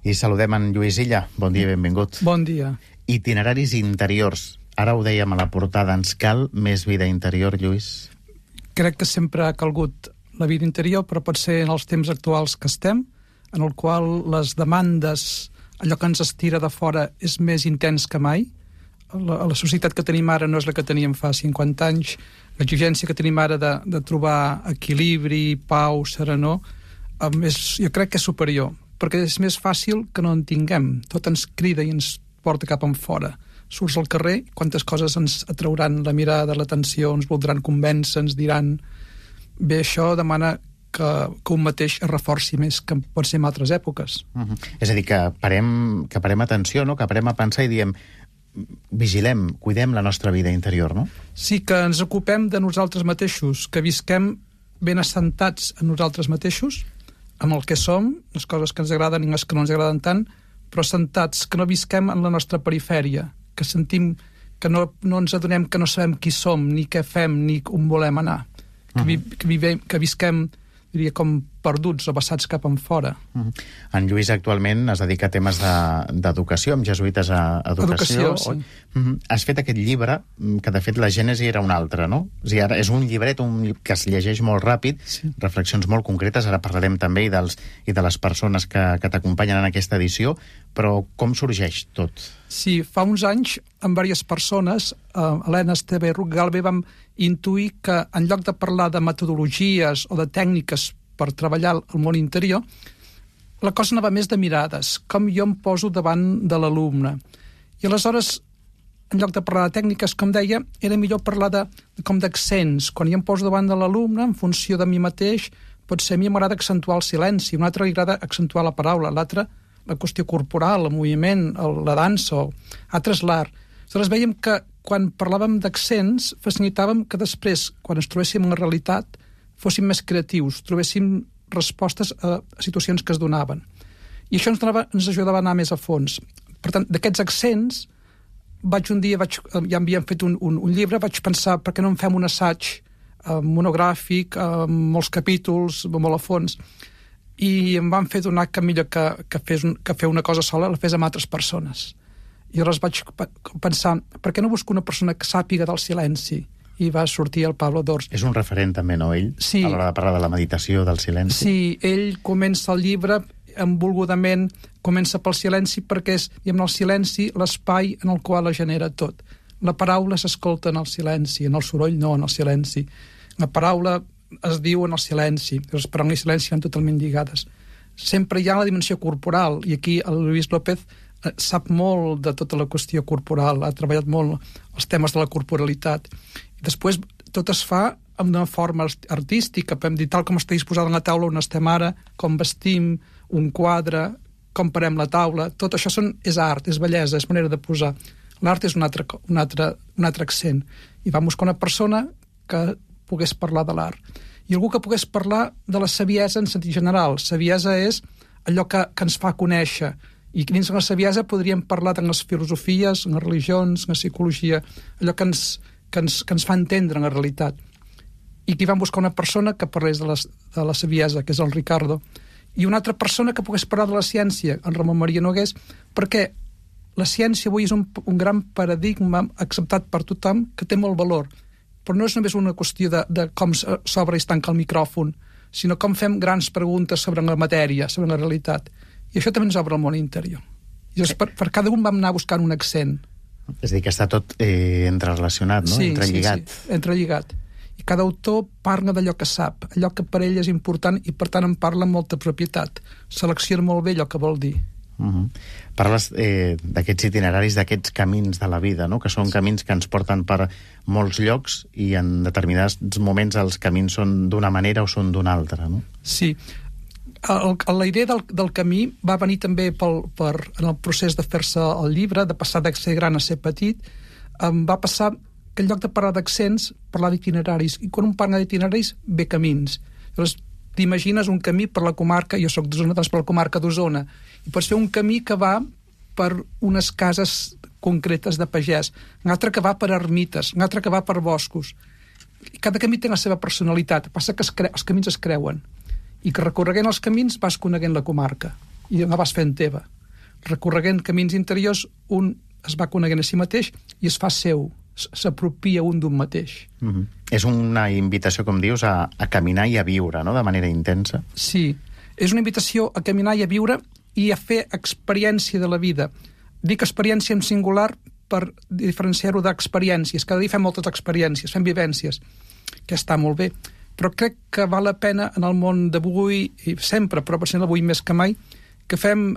I saludem en Lluís Illa. Bon dia i benvingut. Bon dia. Itineraris interiors. Ara ho dèiem a la portada. Ens cal més vida interior, Lluís? Crec que sempre ha calgut la vida interior, però pot ser en els temps actuals que estem, en el qual les demandes, allò que ens estira de fora, és més intens que mai. La societat que tenim ara no és la que teníem fa 50 anys. L'exigència que tenim ara de trobar equilibri, pau, serenor, jo crec que és superior, perquè és més fàcil que no en tinguem. Tot ens crida i ens porta cap enfora. Surts al carrer, quantes coses ens atrauran la mirada, l'atenció, ens voldran convèncer, ens diran... Bé, això demana que un mateix es reforci més que pot ser en altres èpoques. És a dir, que parem atenció, no? Que parem a pensar i diem vigilem, cuidem la nostra vida interior, no? Sí, que ens ocupem de nosaltres mateixos, que visquem ben assentats en nosaltres mateixos, amb el que som, les coses que ens agraden i les que no ens agraden tant, però assentats, que no visquem en la nostra perifèria, que sentim que no ens adonem que no sabem qui som, ni què fem, ni on volem anar. Que visquem, diria, com perduts o vessats cap enfora. En Lluís actualment es dedica a temes d'educació, amb jesuïtes a educació. Sí. Has fet aquest llibre, que de fet la gènesi era una altra, no? O sigui, ara és un llibret que es llegeix molt ràpid, sí. Reflexions molt concretes, ara parlarem també i de les persones que t'acompanyen en aquesta edició, però com sorgeix tot? Sí, fa uns anys, amb diverses persones, Helena, Esteve i Rugalbe, vam intuir que en lloc de parlar de metodologies o de tècniques per treballar el món interior, la cosa anava més de mirades, com jo em poso davant de l'alumne. I aleshores, en lloc de parlar de tècniques, com deia, era millor parlar com d'accents. Quan jo em poso davant de l'alumne, en funció de mi mateix, potser a mi m'agrada accentuar el silenci, un altre li agrada accentuar la paraula, l'altre la qüestió corporal, el moviment, la dansa, altres l'art. Aleshores veiem que quan parlàvem d'accents, facilitàvem que després, quan ens trobéssim en la realitat, fóssim més creatius, trobéssim respostes a situacions que es donaven. I això ens ajudava a anar més a fons. Per tant, d'aquests accents, ja havíem fet un llibre, vaig pensar, per què no en fem un assaig monogràfic, amb molts capítols, molt a fons, i em van fer donar que millor que fer una cosa sola la fes amb altres persones. I llavors vaig pensar, per què no busco una persona que sàpiga del silenci? I va sortir el Pablo Dors. És un referent també, no, ell? Sí. A l'hora de parlar de la meditació, del silenci. Sí, ell comença el llibre envolgudament, comença pel silenci perquè és, diguem, el silenci l'espai en el qual es genera tot. La paraula s'escolta en el silenci, en el soroll no, en el silenci. La paraula es diu en el silenci, les paraules i el silenci van totalment lligades. Sempre hi ha la dimensió corporal, i aquí el Luis López sap molt de tota la qüestió corporal, ha treballat molt els temes de la corporalitat. I després tot es fa amb una forma artística, podem dir, tal com està disposada en la taula on estem ara, com vestim, un quadre, com parem la taula, tot això és art, és bellesa, és manera de posar. L'art és un altre accent. I vam buscar una persona que pogués parlar de l'art. I algú que pogués parlar de la saviesa en sentit general. Saviesa és allò que ens fa conèixer. I dins de la saviesa podríem parlar de les filosofies, en les religions, en la psicologia, allò que ens fa entendre en la realitat. I aquí vam buscar una persona que parlés de la saviesa, que és el Ricardo, i una altra persona que pogués parlar de la ciència, en Ramon Maria Nogués, perquè la ciència avui és un gran paradigma acceptat per tothom que té molt valor. Però no és només una qüestió de com s'obre i es tanca el micròfon, sinó com fem grans preguntes sobre la matèria, sobre la realitat. I això també ens obre el món interior. I llavors, per cada un vam anar buscant un accent. És a dir, que està tot entrerelacionat, no? Sí, entrelligat. Sí, entrelligat. I cada autor parla d'allò que sap, allò que per ell és important i, per tant, en parla amb molta propietat. Selecciona molt bé allò que vol dir. Parles d'aquests itineraris, d'aquests camins de la vida, no? Que són camins que ens porten per molts llocs i en determinats moments els camins són d'una manera o són d'una altra, no? Sí. La idea del camí va venir també en el procés de fer-se el llibre, de passar de ser gran a ser petit. Va passar que en lloc de parlar d'accents, parlar d'itineraris. I quan un parla d'itineraris, ve camins. Llavors, t'imagines un camí per la comarca, jo soc d'Osona, doncs per la comarca d'Osona, i pots fer un camí que va per unes cases concretes de pagès, un altre que va per ermites, un altre que va per boscos. I cada camí té la seva personalitat, passa que els camins es creuen, i que recorreguent els camins vas coneguent la comarca, i la vas fent teva. recorreguent camins interiors, un es va coneguent a si mateix i es fa seu, s'apropia un d'un mateix. És una invitació, com dius, a caminar i a viure, no?, de manera intensa. Sí, és una invitació a caminar i a viure i a fer experiència de la vida. Dic experiència en singular per diferenciar-ho d'experiències. Cada dia fem moltes experiències, fem vivències, que està molt bé. Però crec que val la pena en el món d'avui, i sempre, però potser avui més que mai, que fem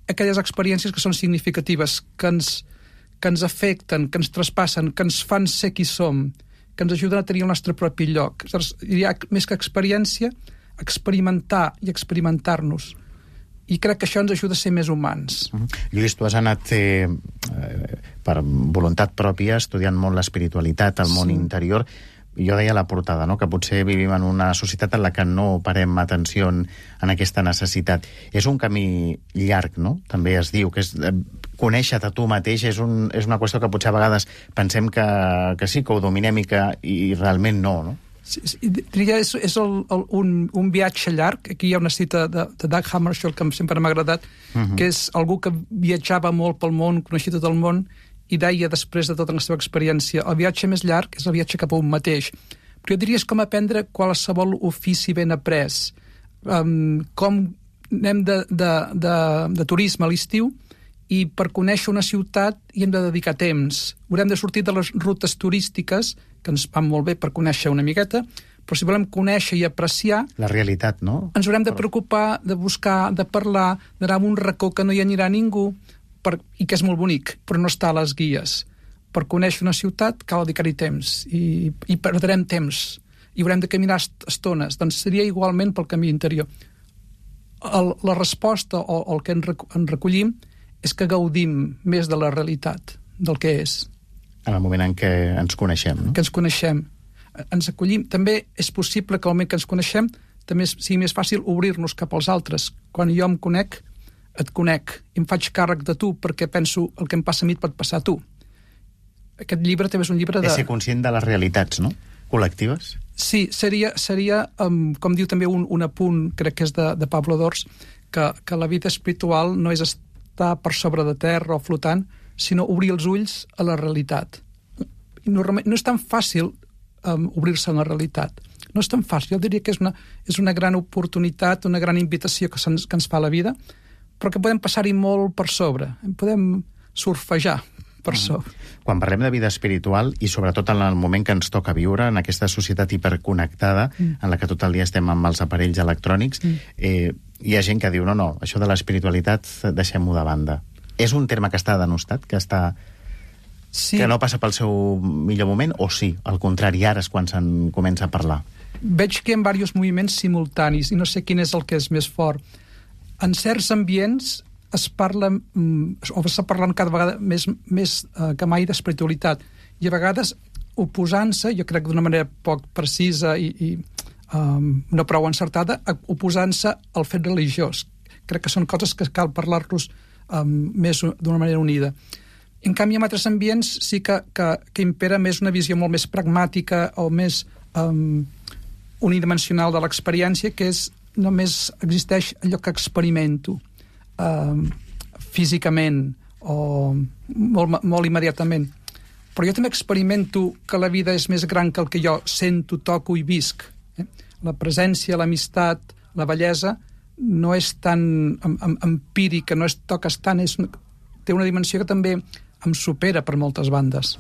aquelles experiències que són significatives, que ens afecten, que ens traspassen, que ens fan ser qui som, que ens ajuden a tenir el nostre propi lloc. Diria, més que experiència, experimentar i experimentar-nos. I crec que això ens ajuda a ser més humans. Lluís, tu has anat per voluntat pròpia estudiant molt l'espiritualitat, el món interior. Jo deia a la portada, no?, que potser vivim en una societat en la que no parem atenció en aquesta necessitat. És un camí llarg, no? També es diu que és conèixer-te tu mateix és una qüestió que potser a vegades pensem que sí, que ho dominem i realment no, no? Sí, diria, és un viatge llarg. Aquí hi ha una cita de Dag Hammarskjöld que sempre m'ha agradat, que és algú que viatjava molt pel món, coneixia tot el món, i deia després de tota la seva experiència, el viatge més llarg és el viatge cap a un mateix. Però jo diria és com aprendre qualsevol ofici ben après. Com anem de turisme a l'estiu i per conèixer una ciutat hi hem de dedicar temps. Haurem de sortir de les rutes turístiques, que ens van molt bé per conèixer una miqueta, però si volem conèixer i apreciar... La realitat, no? Ens haurem de preocupar, de buscar, de parlar, d'anar a un racó que no hi anirà ningú, i que és molt bonic, però no està a les guies. Per conèixer una ciutat cal dedicar-hi temps, i perdrem temps, i haurem de caminar estones. Doncs seria igualment pel camí interior. La resposta, o el que en recollim, és que gaudim més de la realitat, del que és. En el moment en què ens coneixem, no? Que ens coneixem. Ens acollim. També és possible que al moment que ens coneixem també sigui més fàcil obrir-nos cap als altres. Quan jo em conec, et conec, i em faig càrrec de tu, perquè penso el que em passa a mi et pot passar a tu. Aquest llibre també és un llibre de... És ser conscient de les realitats, no?, col·lectives. Sí, seria com diu també un apunt, crec que és de Pablo Dors, que la vida espiritual no és estar per sobre de terra o flotant, sinó obrir els ulls a la realitat. No és tan fàcil obrir-se a la realitat. No és tan fàcil. Jo diria que és una gran oportunitat, una gran invitació que ens fa la vida, però que podem passar-hi molt per sobre. Podem surfejar per sobre. Quan parlem de vida espiritual, i sobretot en el moment que ens toca viure, en aquesta societat hiperconnectada, en la que tot el dia estem amb els aparells electrònics, hi ha gent que diu, no, això de l'espiritualitat deixem-ho de banda. És un terme que està denostat, que no passa pel seu millor moment, o sí, al contrari, ara és quan se'n comença a parlar? Veig que hi ha diversos moviments simultanis, i no sé quin és el que és més fort. En certs ambients es parla, o s'està parlant cada vegada més que mai d'espiritualitat, i a vegades oposant-se, jo crec d'una manera poc precisa i no prou encertada, oposant-se al fet religiós. Crec que són coses que cal parlar-los més d'una manera unida. En canvi, en altres ambients sí que impera més una visió molt més pragmàtica o més unidimensional de l'experiència, que és només existeix allò que experimento físicament o molt immediatament. Però jo també experimento que la vida és més gran que el que jo sento, toco i visc. La presència, l'amistat, la bellesa no és tan empírica, no es toques tant, té una dimensió que també em supera per moltes bandes.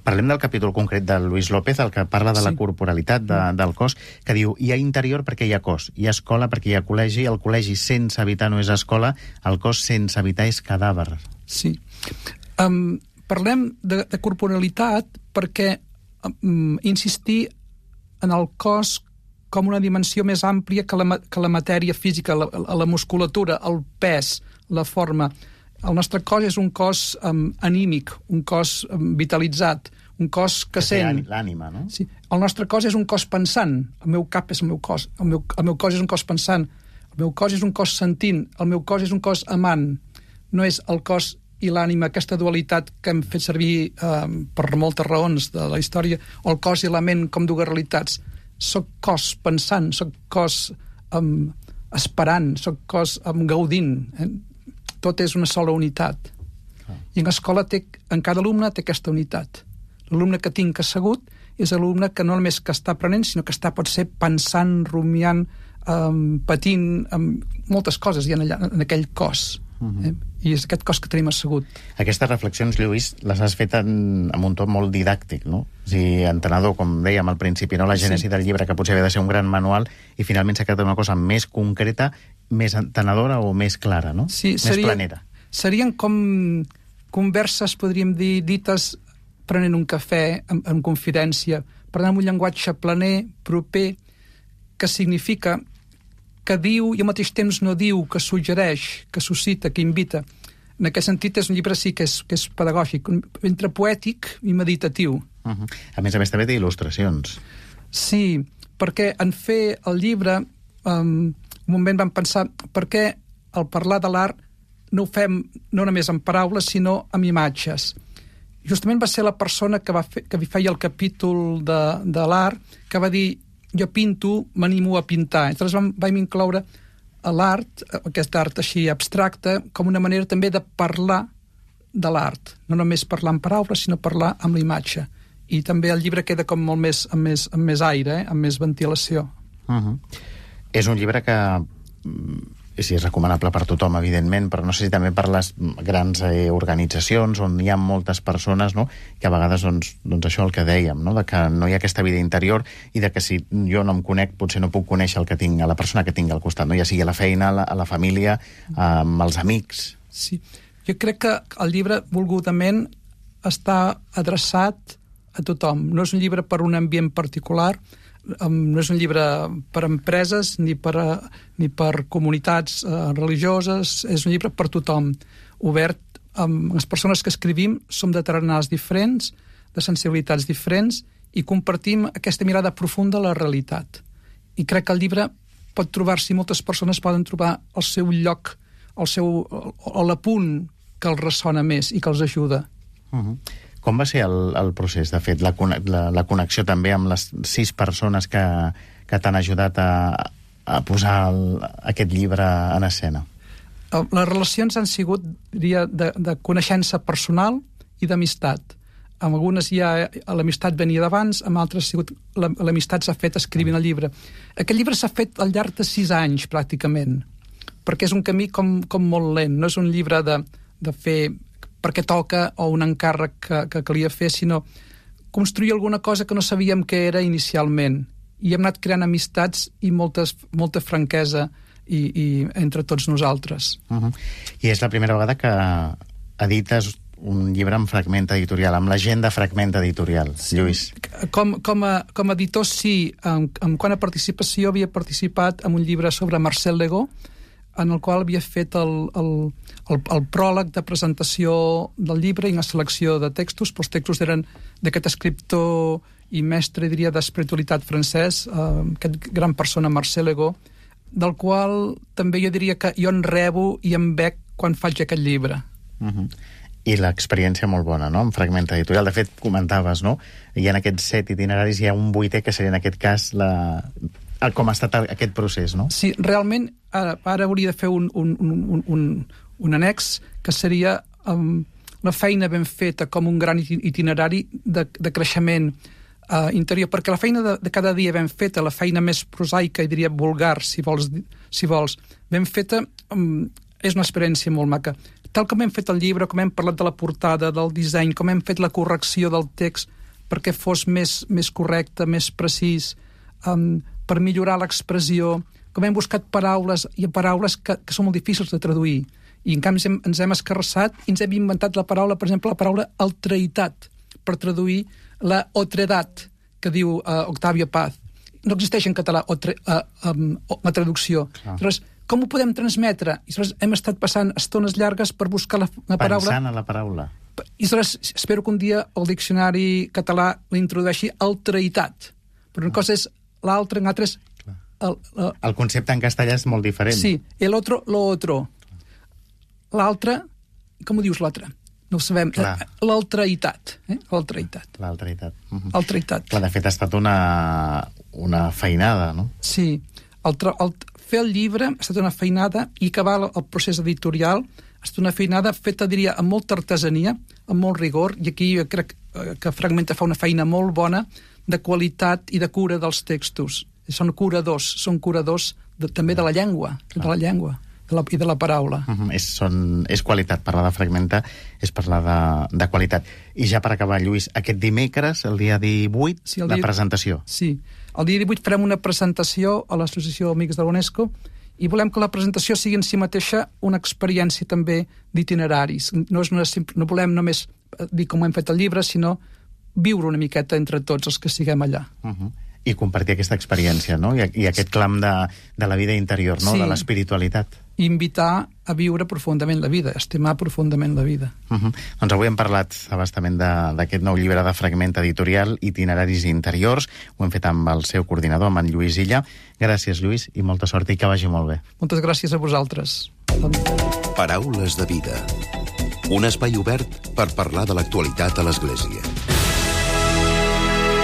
Parlem del capítol concret de Luis López, el que parla de la corporalitat, del cos, que diu, hi ha interior perquè hi ha cos, hi ha escola perquè hi ha col·legi, el col·legi sense habitar no és escola, el cos sense habitar és cadàver. Sí. Parlem de corporalitat perquè insistir en el cos com una dimensió més àmplia que la matèria física, la musculatura, el pes, la forma. El nostre cos és un cos anímic, un cos vitalitzat, un cos que sent. L'ànima, no? Sí. El nostre cos és un cos pensant. El meu cap és el meu cos. El meu cos és un cos pensant. El meu cos és un cos sentint. El meu cos és un cos amant. No és el cos i l'ànima, aquesta dualitat que hem fet servir per moltes raons de la història, o el cos i la ment com dues realitats. Soc cos pensant, soc cos esperant, soc cos gaudint. tot és una sola unitat. I en l'escola en cada alumne té aquesta unitat. L'alumne que tinc assegut és l'alumne que no només que està aprenent, sinó que està potser pensant, rumiant, patint moltes coses hi ha allà, en aquell cos. I és aquest cos que tenim assegut. Aquestes reflexions, Lluís, les has fet amb un to molt didàctic, no? O sigui, entenedor, com dèiem al principi, no? La gènesi del llibre, que potser havia de ser un gran manual, i finalment s'ha quedat una cosa més concreta, més entenedora o més clara, no? Sí, més planera. Serien com converses, podríem dir, dites prenent un cafè, en confidència, parlant amb un llenguatge planer, proper, que significa que diu i al mateix temps no diu, que suggereix, que suscita, que invita. En aquest sentit és un llibre sí que és pedagògic, entre poètic i meditatiu. A més també té il·lustracions. Sí, perquè en fer el llibre, un moment vam pensar per què al parlar de l'art no ho fem no només en paraules, sinó amb imatges. Justament va ser la persona que feia el capítol de l'art que va dir jo pinto, m'animo a pintar. Llavors vam incloure l'art, aquest art així abstracte, com una manera també de parlar de l'art. No només parlar en paraules, sinó parlar amb la imatge. I també el llibre queda com molt més, amb més aire, amb més ventilació. És un llibre que sí, és recomanable per tothom, evidentment, però no sé si també per les grans organitzacions on hi ha moltes persones, no? Que a vegades, doncs això el que dèiem, no? De que no hi ha aquesta vida interior i de que si jo no em conec, potser no puc conèixer el que tinc, a la persona que tinc al costat, no? Ja sigui a la feina, a la família, amb els amics. Sí, jo crec que el llibre volgudament està adreçat a tothom. No és un llibre per un ambient particular, no és un llibre per empreses ni per comunitats religioses, és un llibre per tothom, obert amb les persones que escrivim, som de tarannals diferents, de sensibilitats diferents, i compartim aquesta mirada profunda a la realitat. I crec que el llibre pot trobar-s'hi, moltes persones poden trobar el seu lloc, o l'apunt que els ressona més i que els ajuda. Com va ser el procés, de fet, la connexió també amb les 6 persones que t'han ajudat a posar aquest llibre en escena? Les relacions han sigut, diria, de coneixença personal i d'amistat. Amb algunes l'amistat venia d'abans, amb altres l'amistat s'ha fet escrivint el llibre. Aquest llibre s'ha fet al llarg de 6 anys, pràcticament, perquè és un camí com molt lent. No és un llibre de fer perquè toca o un encàrrec que calia fer, sinó construir alguna cosa que no sabíem què era inicialment. I hem anat creant amistats i molta franquesa i entre tots nosaltres. I és la primera vegada que edites un llibre amb Fragment Editorial, amb la gent de Fragment Editorial, Lluís. Com a editor, sí. Quant a participació, havia participat en un llibre sobre Marcel Legó, en el qual havia fet el pròleg de presentació del llibre i una selecció de textos, però els textos eren d'aquest escriptor i mestre, diria, d'espiritualitat francès, aquest gran persona, Marcel Legó, del qual també jo diria que jo en rebo i en bec quan faig aquest llibre. I l'experiència molt bona, no?, amb Fragment Editorial. De fet, comentaves, no?, hi ha aquests 7 itineraris, hi ha un 8è que seria en aquest cas com ha estat aquest procés, no? Sí, realment, ara hauria de fer un annex que seria la feina ben feta com un gran itinerari de creixement interior, perquè la feina de cada dia ben feta, la feina més prosaica i diria vulgar, si vols, ben feta, és una experiència molt maca. Tal com hem fet el llibre, com hem parlat de la portada, del disseny, com hem fet la correcció del text perquè fos més correcte, més precís, per millorar l'expressió, com hem buscat paraules que són molt difícils de traduir. I en canvi ens hem escarrassat i ens hem inventat la paraula, per exemple, la paraula altreitat, per traduir la otredat, que diu Octavio Paz. No existeix en català la traducció. Llavors, com ho podem transmetre? I llavors hem estat passant estones llargues per buscar la paraula. Pensant a la paraula. I llavors espero que un dia el diccionari català l'introdueixi altreitat. Però una cosa és l'altre, en altres... El concepte en castellà és molt diferent. Sí, el otro, lo otro. L'altre, com ho dius l'altre? No ho sabem. L'altreitat. L'altreitat. L'altreitat. Clar, de fet, ha estat una feinada, no? Sí. Fer el llibre ha estat una feinada i acabar el procés editorial Ha estat una feinada feta, diria, amb molta artesania, amb molt rigor, i aquí jo crec que Fragmenta fa una feina molt bona de qualitat i de cura dels textos. Són curadors també de la llengua, i de la paraula. És qualitat. Parlar de Fragmenta és parlar de qualitat. I ja per acabar, Lluís, aquest dimecres, el dia 18, la presentació. Sí, el dia 18 farem una presentació a l'Associació Amics de l'UNESCO i volem que la presentació sigui en si mateixa una experiència també d'itineraris. No volem només dir com hem fet el llibre, sinó viure una miqueta entre tots els que siguem allà. I compartir aquesta experiència, no? I aquest clam de la vida interior, no? Sí. De l'espiritualitat. I invitar a viure profundament la vida, a estimar profundament la vida. Doncs avui hem parlat abastament d'aquest nou llibre de Fragmenta Editorial, Itineraris interiors. Ho hem fet amb el seu coordinador, amb en Lluís Illa. Gràcies, Lluís, i molta sort i que vagi molt bé. Moltes gràcies a vosaltres. Paraules de vida. Un espai obert per parlar de l'actualitat a l'Església.